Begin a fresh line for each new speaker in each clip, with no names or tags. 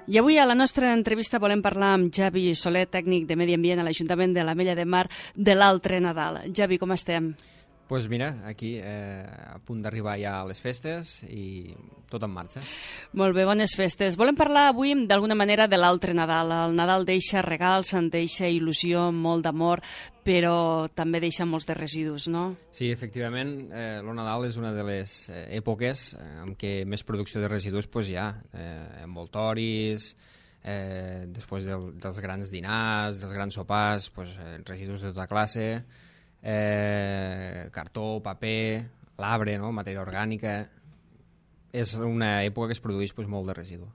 I avui a la nostra entrevista volem parlar amb Javi Soler, tècnic de Medi Ambient a l'Ajuntament de l'Ametlla de Mar, de l'altre Nadal. Javi, com estem?
Doncs mira, aquí a punt d'arribar ja a les festes i tot en marxa.
Molt bé, bones festes. Volem parlar avui d'alguna manera de l'altre Nadal. El Nadal deixa regals, en deixa il·lusió, molt d'amor, però també deixa molts de residus, no?
Sí, efectivament, el Nadal és una de les èpoques en què més producció de residus hi ha. Envoltoris, després dels grans dinars, dels grans sopars, residus de tota classe, cartó, paper, l'arbre, no? Matèria orgànica. És una època que es produeix molt de residu.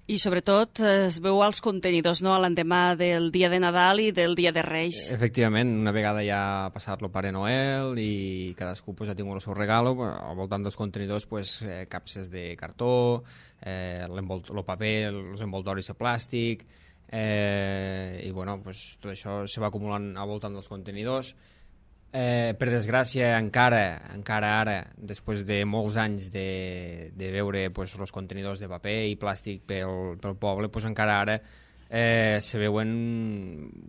I sobretot es veu als contenidors, no?, a l'endemà del dia de Nadal i del dia de Reis.
Efectivament, una vegada ja ha passat el Pare Noel i cadascú ha tingut el seu regal, al voltant dels contenidors capses de cartó, el paper, els envoltoris de plàstic, i tot això se va acumulant al voltant dels contenidors. Per desgràcia, encara ara, després de molts anys de veure els contenidors de paper i plàstic pel poble, encara ara se veuen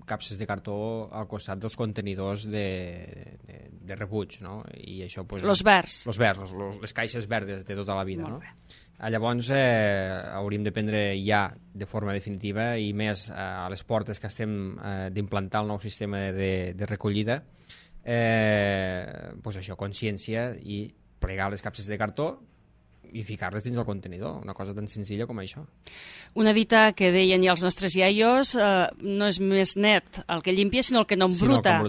capses de cartó al costat dels contenidors de rebuig, no? I això,
los verds.
Les caixes verdes de tota la vida, no?
Llavors
hauríem de prendre ja de forma definitiva, i més a les portes que estem d'implantar el nou sistema de recollida, això, consciència i plegar les capses de cartó i ficar-les dins el contenidor, una cosa tan senzilla com això.
Una dita que deien ja els nostres iaios, no és més net el que llimpia, sinó el que no embruta.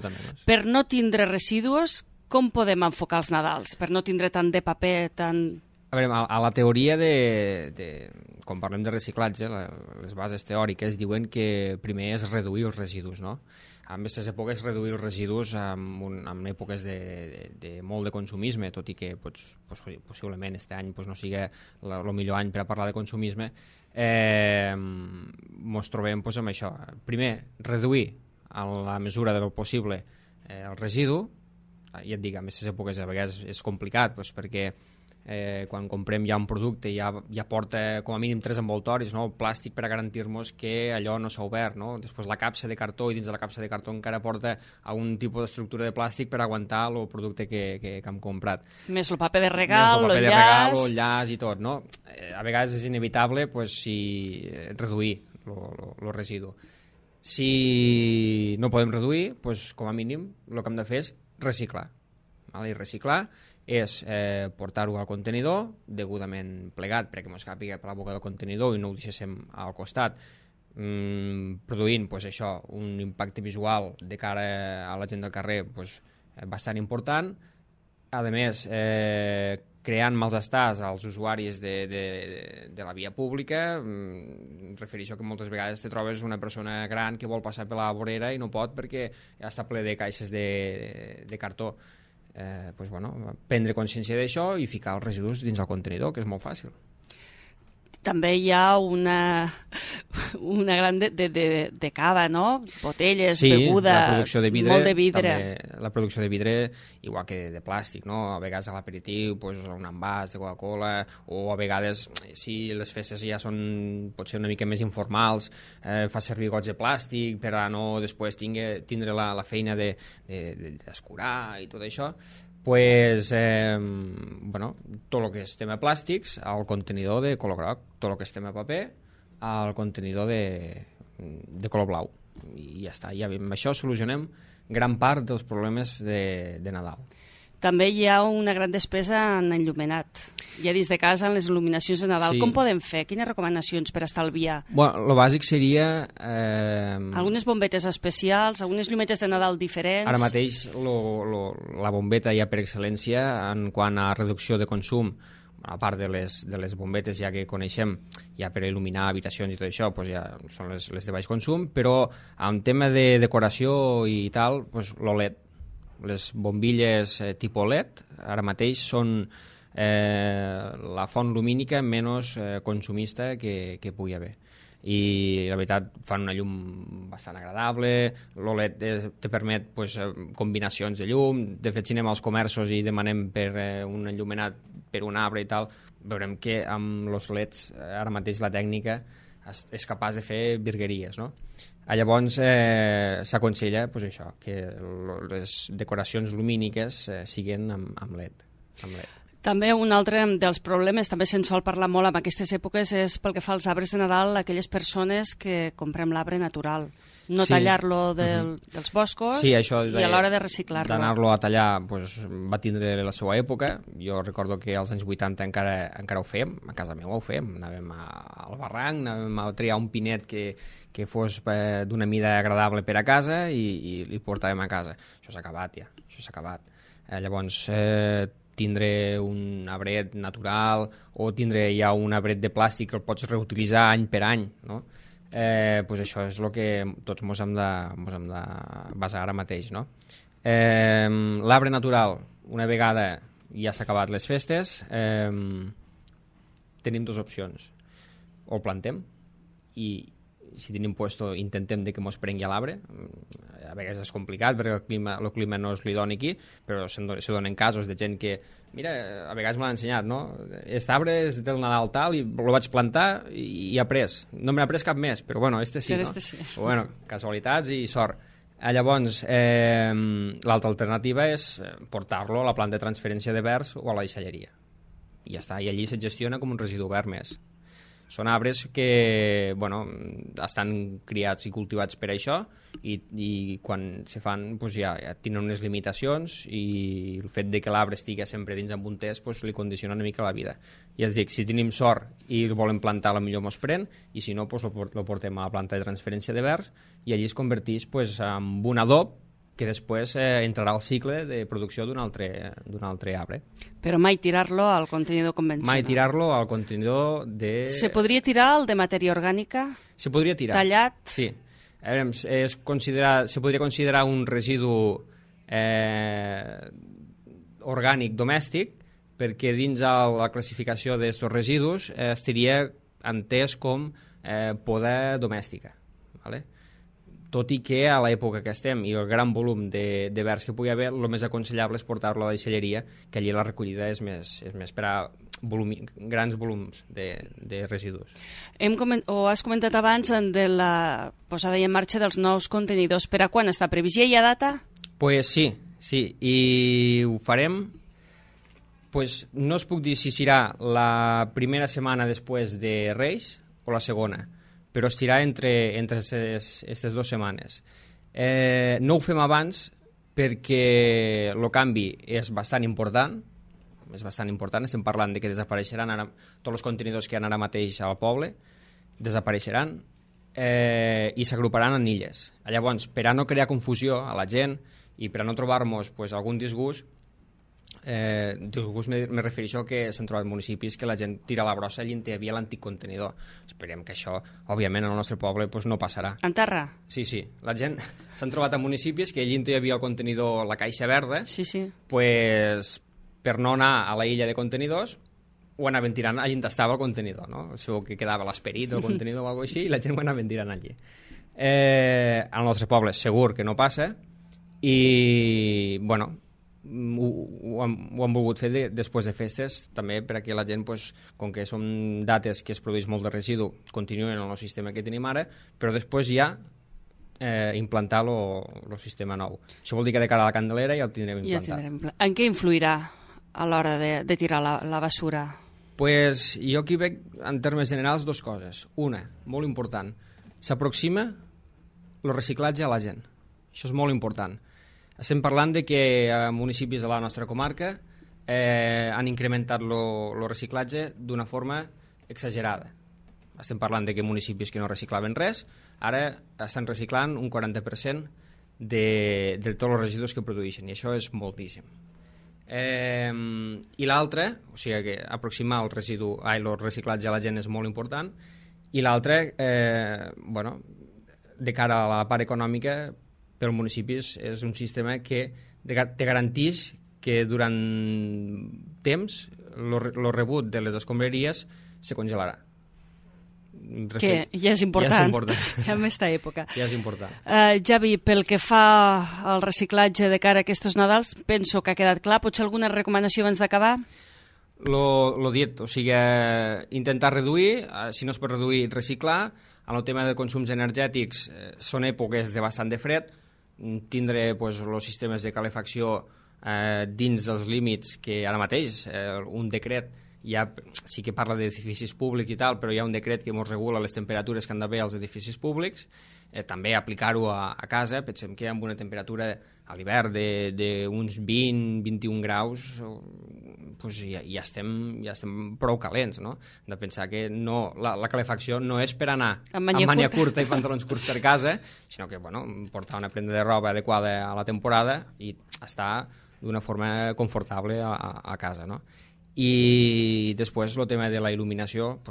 Per no tindre residus, com podem enfocar els Nadals? Per no tindre tant de paper, tant...
A veure, a la teoria quan parlem de reciclatge, les bases teòriques diuen que primer és reduir els residus, no? En aquestes èpoques reduir els residus en èpoques de molt de consumisme, tot i que possiblement aquest any no sigui el millor any per a parlar de consumisme, ens trobem amb això. Primer, reduir a la mesura del possible el residu. Ja et dic, en aquestes èpoques a vegades és complicat perquè quan comprem ja un producte ja porta com a mínim 3 envoltoris, no? El plàstic per a garantir-nos que allò no s'ha obert, no? Després la capsa de cartó, i dins de la capsa de cartó encara porta algun tipus d'estructura de plàstic per aguantar el producte que hem comprat.
Més el paper de regal, el
llaç i tot, no? A vegades és inevitable reduir el residu. Si no podem reduir, com a mínim el que hem de fer és reciclar. I reciclar és portar-ho al contenidor, degudament plegat perquè ens càpiga per la boca del contenidor i no ho deixéssim al costat, produint un impacte visual de cara a la gent del carrer bastant important. A més, creant malestars als usuaris de la via pública. Em refereixo que moltes vegades te trobes una persona gran que vol passar per la vorera i no pot perquè ja està ple de caixes de cartó. Prendre consciència d'això i ficar els residus dins el contenidor, que és molt fàcil.
També hi ha una gran de cava, no? Botelles, beguda,
la producció de vidre,
molt de vidre.
També la producció de vidre, igual que de plàstic, no? A vegades a l'aperitiu, un envàs de Coca-Cola, o a vegades, si les festes ja són potser una mica més informals, fa servir gots de plàstic per a no després tindre la feina d'escurar i tot això. Tot el que és tema plàstics al contenidor de color groc, tot el que és tema paper al contenidor de color blau, i ja està. I amb això solucionem gran part dels problemes de Nadal.
També hi ha una gran despesa en enllumenat. Ja dins de casa, en les il·luminacions de Nadal. Sí. Com podem fer? Quines recomanacions per estalviar?
El bàsic seria...
Algunes bombetes especials, algunes llumetes de Nadal diferents...
Ara mateix la bombeta ja per excel·lència en quant a reducció de consum, a part de les bombetes ja que coneixem ja per il·luminar habitacions i tot això, ja són les de baix consum, però en tema de decoració i tal, l'OLED, les bombilles tipus LED ara mateix són la font lumínica menys consumista que pugui haver, i la veritat fan una llum bastant agradable. L'OLED te permet combinacions de llum. De fet, si anem als comerços i demanem per un enllumenat per un arbre i tal, veurem que amb els LEDs ara mateix la tècnica és capaç de fer virgueries, no? Llavors s'aconsella pues, això, que les decoracions lumíniques siguin amb LED.
També un altre dels problemes, també se'n sol parlar molt en aquestes èpoques, és pel que fa als arbres de Nadal, aquelles persones que comprem l'arbre natural, no tallar-lo dels boscos i a l'hora de reciclar-lo.
D'anar-lo a tallar pues, va tindre la seva època. Jo recordo que als anys 80 encara ho fèiem, a casa meva ho fèiem, anàvem al barranc, anàvem a triar un pinet que fos d'una mida agradable per a casa i li portàvem a casa. Això s'ha acabat ja, això s'ha acabat. Llavors, tindre un arbret natural o tindre ja un arbret de plàstic que el pots reutilitzar any per any, no? Pues això és el que tots ens hem de basar ara mateix, no? L'arbre natural, una vegada ja s'ha acabat les festes, tenim dues opcions. O el plantem i si tenim puesto intentem de que mos prengui l'arbre. A vegades és complicat perquè el clima no és l'idoni aquí, però se donen casos de gent que, mira, a vegades me l'han ensenyat, no? Aquest arbre és del Nadal tal i el vaig plantar i ha pres. No me n'ha pres cap més, però bueno, este sí, no?
Sí.
Però, bueno, casualitats i sort. Llavors, l'altra alternativa és portar-lo a la planta de transferència de verds o a la deixalleria. I ja està, i allí se gestiona com un residu verd més. Són arbres que bueno, estan criats i cultivats per això i quan se fan pues ja tenen unes limitacions i el fet de que l'arbre estigui sempre dins amb un test pues, li condiciona una mica la vida. I és a dir, si tenim sort i el volem plantar, potser mos pren, i si no, pues, lo portem a la planta de transferència de verds i allí es converteix pues, en un adob que després entrarà al cicle de producció d'un altre arbre.
Però mai tirar-lo al contenidor convencional.
Mai tirar-lo al contenidor de...
Se podria tirar el de matèria orgànica?
Se podria tirar.
Tallat?
Sí. A veure, se podria considerar un residu orgànic domèstic perquè dins la classificació d'aquests residus estaria entès com poda domèstica. ¿Vale? Tot i que a l'època que estem i el gran volum de verds que pugui haver, el més aconsellable és portar-lo a la deixalleria, que allí la recollida és més per a grans volums de residus.
Has comentat abans de la posada en marxa dels nous contenidors. Per a quan està previst? Ja hi ha data?
Pues sí, i ho farem. Pues no us puc dir si serà la primera setmana després de Reis o la segona, però estirà entre aquestes 2 setmanes. No ho fem abans perquè el canvi és bastant important, estem parlant de que desapareixeran tots els contenidors que hi ha ara mateix al poble, desapareixeran i s'agruparan en illes. Llavors, per a no crear confusió a la gent i per a no trobar-nos pues, algun disgust, me refereixo que s'han trobat municipis que la gent tira la brossa allí on hi havia l'antic contenidor. Esperem que això, òbviament, al nostre poble pues, no passarà.
En terra?
Sí. La gent s'han trobat a municipis que allí on hi havia el contenidor, la caixa verda, pues, per no anar a la illa de contenidors, ho anaven tirant allí on estava el contenidor, no? Segur que quedava l'esperit del contenidor o alguna cosa així i la gent ho anaven tirant allí. Al nostre poble segur que no passa i, bueno, ho han volgut fer després de festes també perquè la gent, pues, com que són dates que es produeix molt de residu, continuen en el sistema que tenim ara, però després ja implantar el sistema nou. Això vol dir que de cara a la Candelera ja el tindrem implantat.
En què influirà a l'hora de tirar la basura?
Pues jo aquí veig en termes generals 2 coses. Una, molt important, s'aproxima el reciclatge a la gent. Això és molt important. Estem parlant de que a municipis de la nostra comarca han incrementat el reciclatge d'una forma exagerada. Estem parlant de que municipis que no reciclaven res ara estan reciclant un 40% de tots els residus que produeixen, i això és moltíssim. I l'altre, o sigui que aproximar el reciclatge a la gent és molt important, i l'altre, de cara a la part econòmica, per municipis és un sistema que te garanteix que durant temps el rebut de les escombraries se congelarà.
Que ja és important, ja en aquesta època.
Ja és important.
Javi, pel que fa al reciclatge de cara a aquests Nadals, penso que ha quedat clar. Potser alguna recomanació abans d'acabar?
Lo dit, o sigui, intentar reduir, si no es pot reduir, reciclar. En el tema de consums energètics són èpoques de bastant de fred, tindre els sistemes de calefacció dins dels límits que ara mateix un decret ja sí que parla d'edificis públics i tal, però hi ha un decret que ens regula les temperatures que han d'haver als edificis públics, també aplicar-ho a casa. Pensem que amb una temperatura a l'hivern d'uns 20-21 graus pues ja estem prou calents, no? Hem de pensar que la calefacció no és per anar amb manya curta i pantalons curts per casa, sinó que portar una prenda de roba adequada a la temporada i estar d'una forma confortable a casa, no? I després el tema de la il·luminació,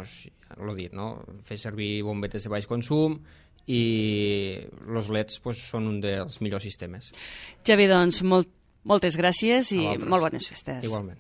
l'ho dit, no? Fer servir bombetes de baix consum i els LEDs són un dels millors sistemes.
Javi, doncs, moltes gràcies i molt bones festes.
Igualment.